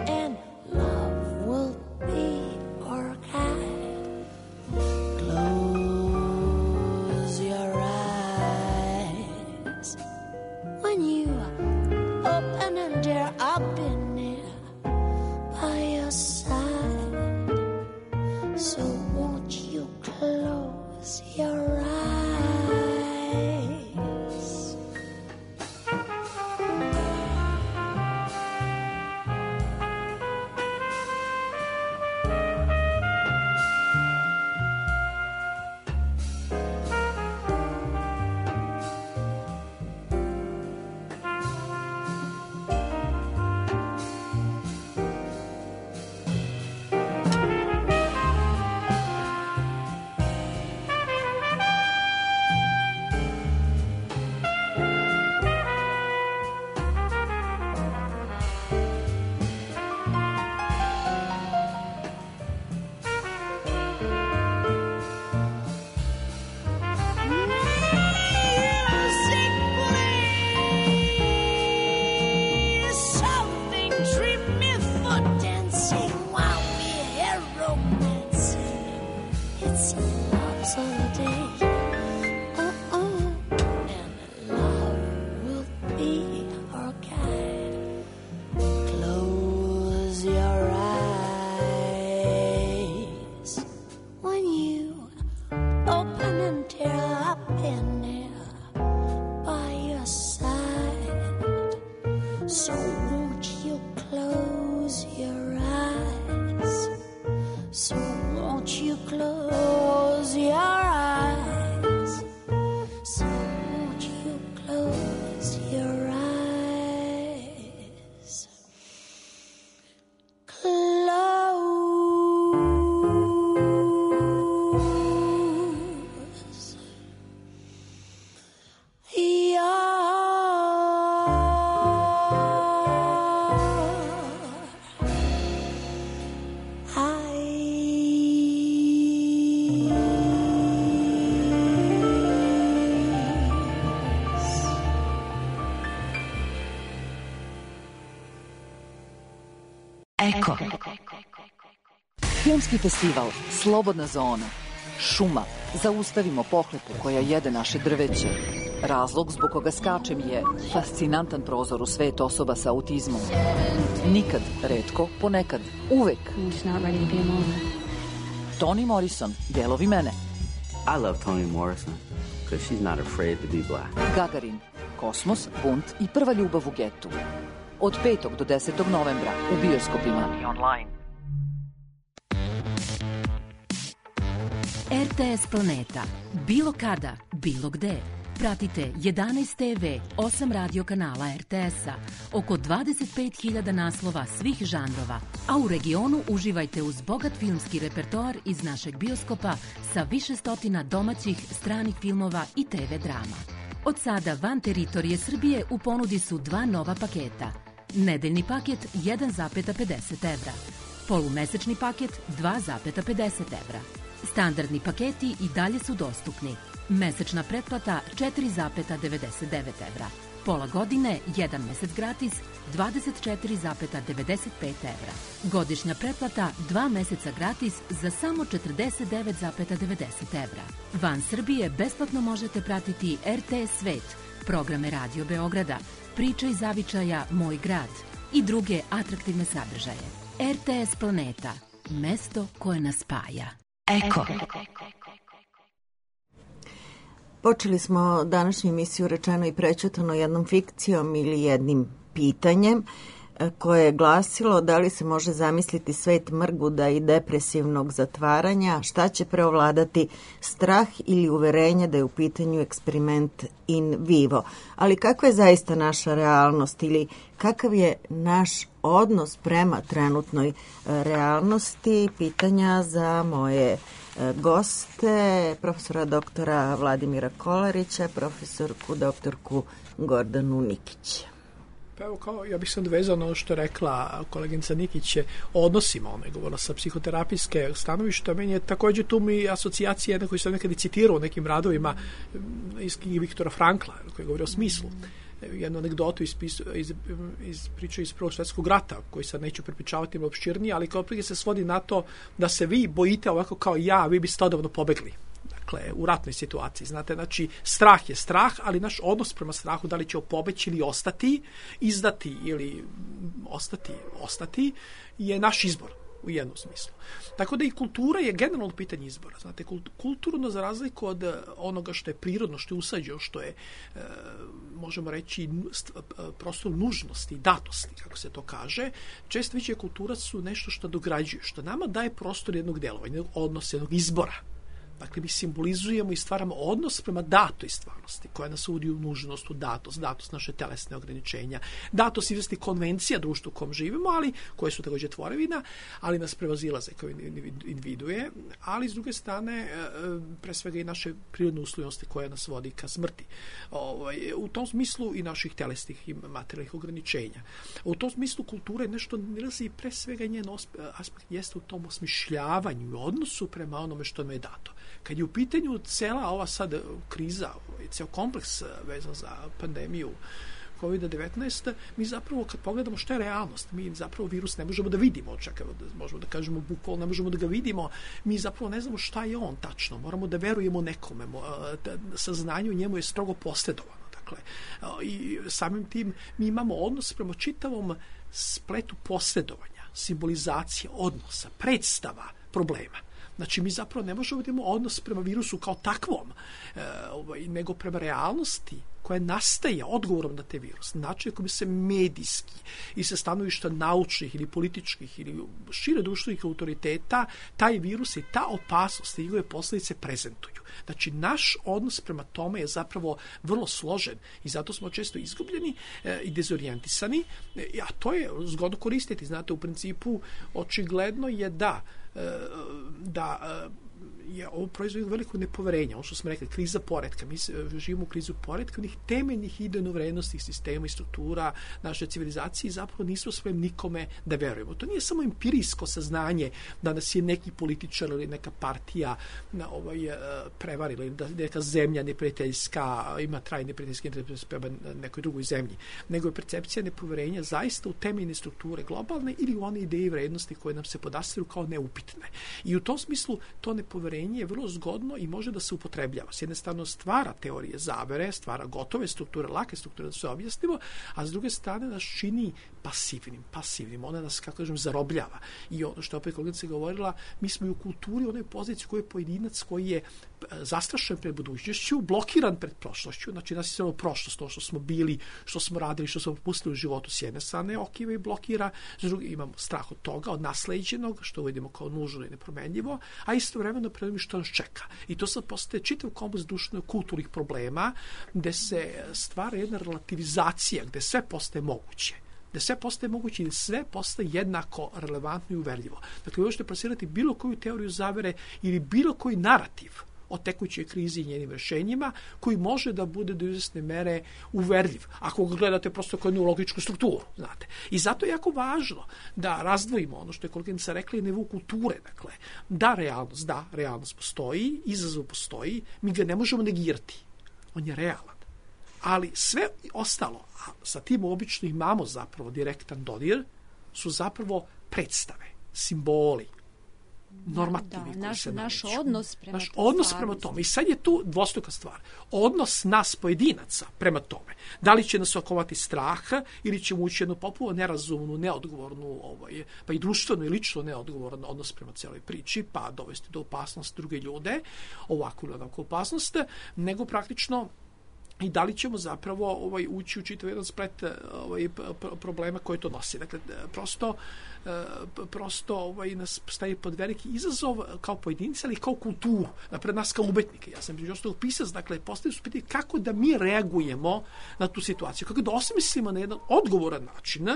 And love will be our guide. Close your eyes. When you open and dare, I'll be near by your side. So won't you close your eyes? So won't you close your eyes? So won't you close your eyes? So won't you close your eyes? Eko. Filmski festival Slobodna zona. Šuma. Zaustavimo pohlepu koja jede naše drveće. Razlog zbog koga skačem je fascinantan prozor u svet osoba sa autizmom. Nikad, retko, ponekad, uvek. Toni Morrison, Delovi mene. I love Toni Morrison because she's not afraid to be black. Gagarin, Kosmos, bunt i prva ljubav u getu. Od 5. do 10. novembra u bioskopima i online. RTS Planeta. Bilo kada, bilo gde. Pratite 11 TV, 8 radio kanala RTS-a, oko 25.000 naslova svih žanrova, a u regionu uživajte uz bogat filmski repertoar iz našeg bioskopa sa više stotina domaćih, stranih filmova i TV drama. Od sada van teritorije Srbije u ponudi su 2 nova paketa. Nedeljni paket 1,50 evra. Polumesečni paket 2,50 evra. Standardni paketi i dalje su dostupni. Mesečna pretplata 4,99 evra. Pola godine, 1 mesec gratis, 24,95 evra. Godišnja pretplata 2 meseca gratis za samo 49,90 evra. Van Srbije besplatno možete pratiti RTS Svet, programe Radio Beograda, Priče iz zavičaja Moj grad i druge atraktivne sadržaje. RTS Planeta, mesto koje nas spaja. Eko. Počeli smo današnju emisiju Rečeno i prećutano jednom fikcijom ili jednim pitanjem koje je glasilo da li se može zamisliti svet mrguda i depresivnog zatvaranja, šta će preovladati, strah ili uverenje da je u pitanju eksperiment in vivo. Ali kakva je zaista naša realnost ili kakav je naš odnos prema trenutnoj realnosti? Pitanja za moje goste, profesora doktora Vladimira Kolarića, profesorku doktorku Gordanu Nikić. Pa evo, ja bih se odvezao na ono što je rekla koleginica Nikić o odnosima, ona je govorila sa psihoterapijske stanovišta, meni je također tu mi asocijacija jedna koju sam nekada citirao u nekim radovima iz knjige Viktora Frankla, koji govori o smislu. Jednu anegdotu iz priče iz Prvog svjetskog rata, koji sad neću prepričavati opširnije, ali kao prije se svodi na to da se vi bojite ovako kao ja, vi biste odavno pobegli. Dakle, u ratnoj situaciji. Znate, znači, strah je strah, ali naš odnos prema strahu, da li će pobeći ili ostati, izdati ili ostati, je naš izbor u jednom smislu. Tako da i kultura je generalno pitanje izbora. Znate, kulturno za razliku od onoga što je prirodno, što je usađeno, što je, možemo reći, prostor nužnosti, datosti, kako se to kaže, često više kultura su nešto što dograđuje, što nama daje prostor jednog delovanja, jednog odnosa, jednog izbora. Dakle, mi simbolizujemo i stvaramo odnos prema datoj stvarnosti, koja nas uvodi u nužnost, u datost naše telesne ograničenja, datost izvesti konvencija društva u kom živimo, ali koje su također tvorevina, ali nas prevazilaze kao individue, ali s druge strane, pre svega i naše prirodne uslovnosti koje nas vodi ka smrti. U tom smislu i naših telesnih i materijalnih ograničenja. U tom smislu kultura je nešto nilazi pre svega njen aspekt jeste u tom osmišljavanju i odnosu prema onome što nam je dato. Kad je u pitanju cela ova sad kriza, ceo kompleks vezan za pandemiju COVID-19, mi zapravo kad pogledamo šta je realnost, mi zapravo virus ne možemo da vidimo, čak možemo da kažemo bukvalno ne možemo da ga vidimo, mi zapravo ne znamo šta je on tačno, moramo da verujemo nekome, saznanje u njemu je strogo posredovano. Dakle, i samim tim mi imamo odnos prema čitavom spletu posredovanja, simbolizacije odnosa, predstava problema. Znači, mi zapravo ne možemo da imamo odnos prema virusu kao takvom, nego prema realnosti koja nastaje odgovorom na te virus, način koji se medijski i sa stanovišta naučnih ili političkih ili šire društvenih autoriteta taj virus i ta opasnost i njegove posljedice prezentuju. Znači, naš odnos prema tome je zapravo vrlo složen i zato smo često izgubljeni i dezorijentisani, a to je zgodno koristiti. Znate, u principu očigledno je da je ovo proizvod veliko nepoverenja. Ono što smo rekli, kriza poretka. Mi živimo u krizu poretka, onih temeljnih idejno-vrednostnih sistema i struktura naše civilizacije i zapravo nismo spremni nikome da verujemo. To nije samo empirijsko saznanje da nas je neki političar ili neka partija prevarila ili da neka zemlja neprijateljska ima trajne neprijateljske interese prema nekoj drugoj zemlji, nego je percepcija nepoverenja zaista u temeljne strukture globalne ili u one ideje i vrednosti koje nam se podastiru kao neupitne. I u tom smislu to nepoverenje je vrlo zgodno i može da se upotrebljava. S jedne strane stvara teorije zavere, stvara gotove strukture, lake strukture da se objasnimo, a s druge strane nas čini pasivnim. Ona nas, kako kažem, zarobljava. I ono što je opet kolegica govorila, mi smo i u kulturi u onoj poziciji koji je pojedinac koji je zastrašen pred budućnošću, blokiran pred prošlošću. Znači, nas je samo prošlost, to što smo bili, što smo radili, što smo propustili u životu s jedne strane, okiva i blokira, s druge imamo strah od toga, od nasleđenog, što vidimo kao nužno i nepromenljivo, a istovremeno predvim što nas čeka. I to sad postaje čitav kompleks društveno-kulturnih problema, gde se stvara jedna relativizacija, gde sve postaje moguće. Da sve postaje moguće i sve postaje jednako relevantno i uverljivo. Dakle, vi možete plasirati bilo koju teoriju zavere ili bilo koji narativ o tekućoj krizi i njenim rešenjima, koji može da bude do izvesne mere uverljiv, ako ga gledate prosto kao jednu logičku strukturu, znate. I zato je jako važno da razdvojimo ono što je koleginica rekla i nivo kulture, dakle, da, realnost postoji, izazov postoji, mi ga ne možemo negirati. On je realan. Ali sve ostalo, a sa tim obično imamo zapravo direktan dodir, su zapravo predstave, simboli, normativi. Naš odnos prema tome. I sad je tu dvostruka stvar. Odnos nas pojedinaca prema tome. Da li će nas okovati strah ili ćemo ući jednu popuno nerazumnu, neodgovornu, pa i društveno i lično neodgovoran odnos prema cijeloj priči, pa dovesti do opasnosti druge ljude, ovakvu ili onakvu opasnost, nego praktično i da li ćemo zapravo ući u čitav jedan splet problema koje to nosi. Dakle, prosto nas staje pod veliki izazov kao pojedinci, ali kao kulturu, napred nas kao umetnike. Ja sam još to pisac, dakle, postavio su pitanje kako da mi reagujemo na tu situaciju, kako da osmislimo na jedan odgovoran način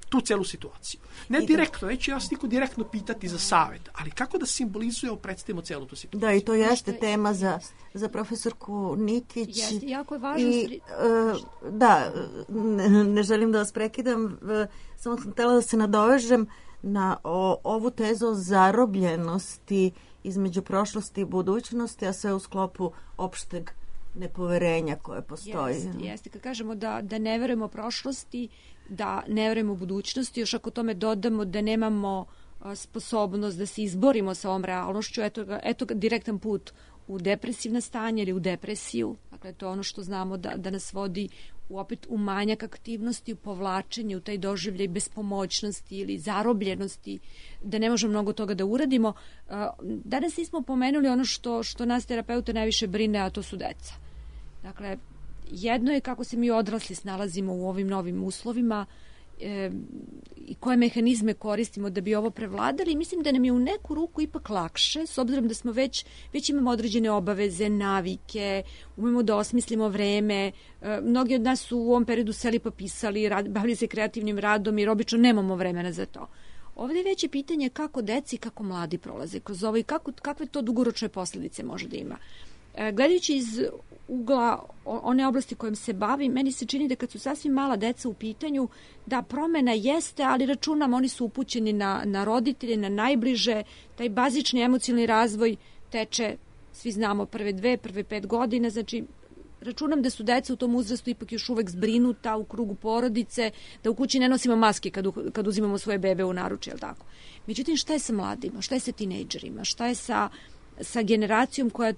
tu celu situaciju. Ne direktno, neće nas niko direktno pitati za savjet, ali kako da simbolizujemo, predstavimo celu tu situaciju. Da, i to jeste tema za profesorku Nikić. Jeste, jako je važno. Da, ne želim da vas prekidam, samo sam htjela da se nadovežem na ovu tezu o zarobljenosti između prošlosti i budućnosti, a sve u sklopu opšteg nepoverenja koje postoji. Jeste. Kad kažemo da ne verujemo prošlosti, da ne verujemo budućnosti, još ako tome dodamo da nemamo sposobnost da se izborimo sa ovom realnošću, eto direktan put u depresivna stanje ili u depresiju. Dakle, to je ono što znamo da nas vodi opet u manjak aktivnosti, u povlačenje, u taj doživljaj bespomoćnosti ili zarobljenosti, da ne možemo mnogo toga da uradimo. Danas nismo pomenuli ono što nas terapeute najviše brine, a to su deca. Dakle, jedno je kako se mi odrasli snalazimo u ovim novim uslovima i koje mehanizme koristimo da bi ovo prevladali. Mislim da nam je u neku ruku ipak lakše, s obzirom da smo već imamo određene obaveze, navike, umemo da osmislimo vreme. Mnogi od nas su u ovom periodu seli pa pisali, bavili se kreativnim radom jer obično nemamo vremena za to. Ovdje je veće pitanje kako deci i kako mladi prolaze kroz ovo i kakve to dugoročne posljedice može da ima. Gledajući iz ugla one oblasti kojom se bavi, meni se čini da kad su sasvim mala deca u pitanju, da promena jeste, ali računam, oni su upućeni na roditelje, na najbliže, taj bazični emocionalni razvoj teče, svi znamo, prve 5 godina, znači računam da su deca u tom uzrastu ipak još uvek zbrinuta u krugu porodice, da u kući ne nosimo maske kad uzimamo svoje bebe u naručje, jel tako? Međutim, šta je sa mladima, šta je sa tinejdžerima, šta je sa generacijom koja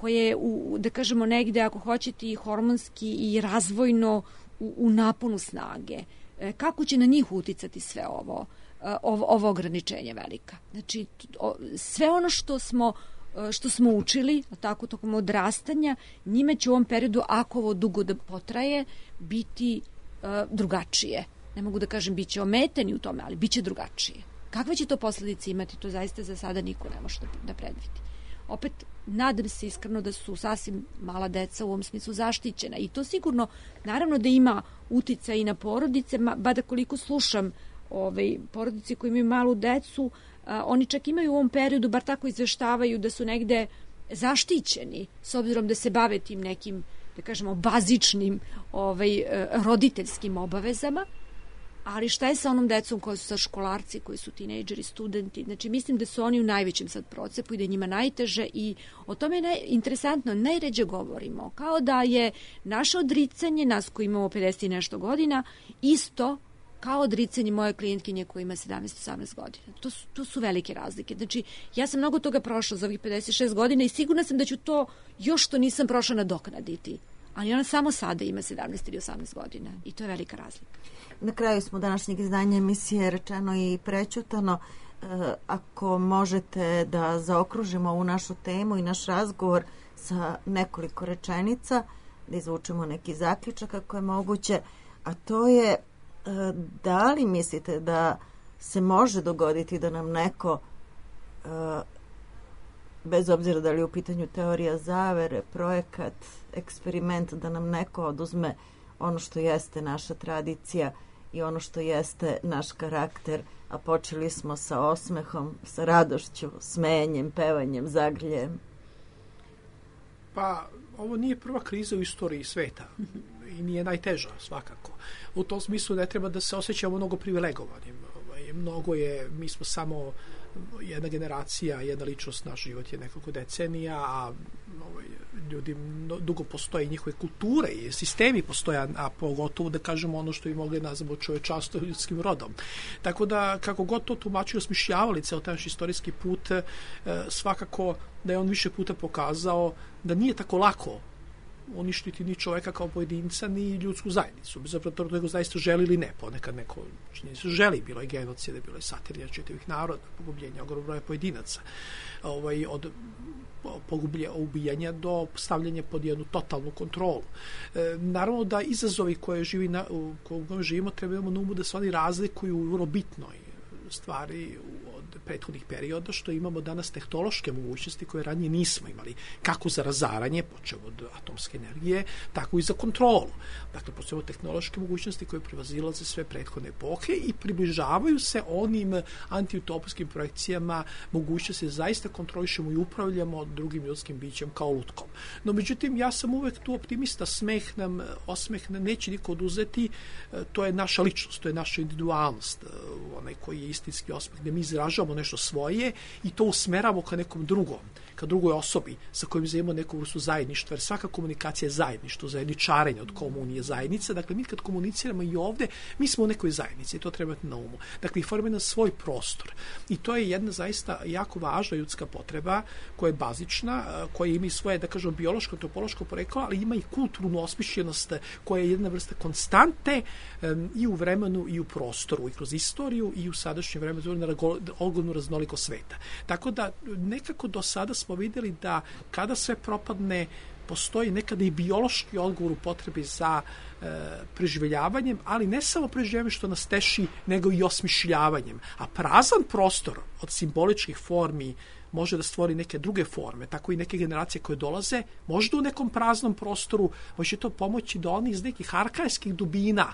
je da kažemo negde, ako hoćete, i hormonski i razvojno u naponu snage. Kako će na njih uticati sve ovo ograničenje velika? Znači, sve ono što smo što smo učili, tako tokom odrastanja, njime će u ovom periodu, ako ovo dugo da potraje, biti drugačije. Ne mogu da kažem bit će ometeni u tome, ali bit će drugačije. Kakve će to posledice imati, to zaista za sada niko ne može da predvidi. Opet, nadam se iskreno da su sasvim mala deca u ovom smislu zaštićena i to sigurno, naravno da ima utica i na porodice, bada koliko slušam porodice koji imaju malu decu, oni čak imaju u ovom periodu, bar tako izveštavaju, da su negde zaštićeni, s obzirom da se bave tim nekim, da kažemo, bazičnim roditeljskim obavezama. Ali šta je sa onom decom koji su sad školarci, koji su tinejdžeri, studenti? Znači, mislim da su oni u najvećem sad procepu i da je njima najteže i o tome je interesantno, najređe govorimo. Kao da je naše odricanje, nas koji imamo 50 i nešto godina, isto kao odricanje moje klijentkinje koja ima 17-18 godina. To su velike razlike. Znači, ja sam mnogo toga prošla za ovih 56 godina i sigurna sam da ću to još što nisam prošla nadoknaditi. Ali ona samo sada ima 17 ili 18 godina i to je velika razlika. Na kraju smo današnjeg izdanja emisije Rečeno i prećutano. Ako možete da zaokružimo ovu našu temu i naš razgovor sa nekoliko rečenica, da izvučemo neki zaključak ako je moguće, a to je da li mislite da se može dogoditi da nam neko, bez obzira da li je u pitanju teorija zavere, projekat, eksperiment, da nam neko oduzme ono što jeste naša tradicija i ono što jeste naš karakter, a počeli smo sa osmehom, sa radošću, smenjem, pevanjem, zagrljem? Pa, ovo nije prva kriza u istoriji sveta i nije najteža svakako. U tom smislu ne treba da se osjećamo mnogo privilegovanim. Mnogo je, mi smo samo jedna generacija, jedna ličnost, naš život je nekoliko decenija, a ljudi dugo postoje i njihove kulture i sistemi postoje, a pogotovo da kažemo ono što bi mogli nazvati čovečanstvo ljudskim rodom. Tako da, kako god to tumačili, osmišljavali ceo taj istorijski put, svakako da je on više puta pokazao da nije tako lako uništiti ni čoveka kao pojedinca, ni ljudsku zajednicu. Bez obzira toga nego zaista želi ili ne. Ponekad neko činjenica želi. Bilo je genocide, bilo je satirija čitavih naroda, pogubljenja ogromnog broja pojedinaca. Od ubijanja do stavljanja pod jednu totalnu kontrolu. Naravno da izazovi u kojem živimo trebamo na umu da se oni razlikuju u vrlo bitnoj stvari od prethodnih perioda, što imamo danas tehnološke mogućnosti koje ranije nismo imali, kako za razaranje, počev od atomske energije, tako i za kontrolu. Dakle, postoje tehnološke mogućnosti koje prevazilaze sve prethodne epohe i približavaju se onim antiutopijskim projekcijama mogućnosti da zaista kontrolišemo i upravljamo drugim ljudskim bićem kao lutkom. No, međutim, ja sam uvek tu optimista, osmeh nam neće niko oduzeti, to je naša ličnost, to je naša individualnost, onaj koji je istinski osmeh, gde mi izražavamo nešto svoje i to usmeramo ka nekom drugom, ka drugoj osobi sa kojim imamo neku vrstu zajedništva, jer svaka komunikacija je zajedništvo, zajedničarenje od komunije zajednice. Dakle, mi kad komuniciramo i ovde, mi smo u nekoj zajednici i to treba imati na umu. Dakle, formira svoj prostor. I to je jedna zaista jako važna ljudska potreba koja je bazična, koja ima i svoje, da kažemo, biološko, antropološko poreklo, ali ima i kulturnu osmišljenost koja je jedna vrsta konstante i u vremenu i u prostoru, i kroz istoriju i u sadašnjem vremenu na ogromnu raznolikost sveta. Tako da nekako do sada smo vidjeli da kada sve propadne, postoji nekada i biološki odgovor u potrebi za preživljavanjem, ali ne samo preživljavanjem što nas teši, nego i osmišljavanjem. A prazan prostor od simboličkih formi može da stvori neke druge forme, tako i neke generacije koje dolaze, možda u nekom praznom prostoru, može to pomoći da oni iz nekih arhajskih dubina,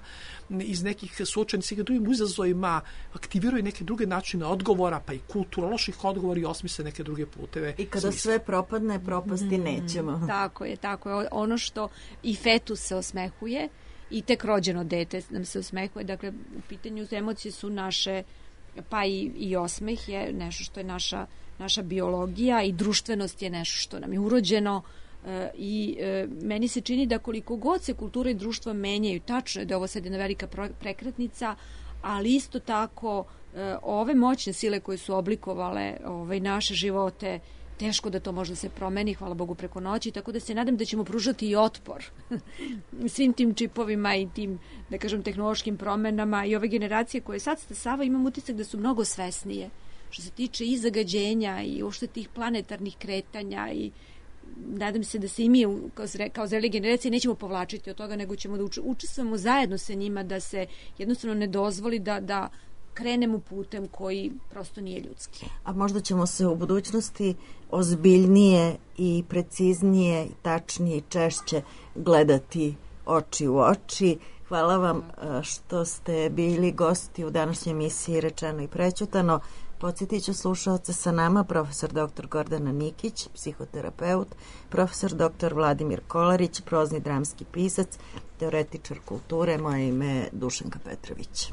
iz nekih suočenih sa drugim izazovima aktiviraju neke druge načine odgovora, pa i kulturoloških odgovora i osmisle neke druge puteve. I kada sve propadne, propasti nećemo. Tako je. Ono što i fetus se osmehuje i tek rođeno dete nam se osmehuje, dakle, u pitanju emocije su naše, pa i osmeh je nešto što je naša biologija i društvenost je nešto što nam je urođeno i meni se čini da koliko god se kultura i društvo menjaju, tačno je da ovo sad jedna velika prekretnica, ali isto tako ove moćne sile koje su oblikovale naše živote, teško da to možda se promeni, hvala Bogu, preko noći, tako da se nadam da ćemo pružati i otpor svim tim čipovima i tim, da kažem, tehnološkim promenama i ove generacije koje sad stasava, imam utisak da su mnogo svesnije što se tiče i zagađenja i uopšte tih planetarnih kretanja i nadam se da se i mi kao zreli generacije nećemo povlačiti od toga, nego ćemo da učestvujemo zajedno sa njima, da se jednostavno ne dozvoli da krenemo putem koji prosto nije ljudski. A možda ćemo se u budućnosti ozbiljnije i preciznije, tačnije i češće gledati oči u oči. Hvala vam što ste bili gosti u današnjoj emisiji Rečeno i prećutano. Podsjetit ću slušalce, sa nama profesor dr. Gordana Nikić, psihoterapeut, profesor dr. Vladimir Kolarić, prozni dramski pisac, teoretičar kulture. Moje ime je Dušanka Petrović.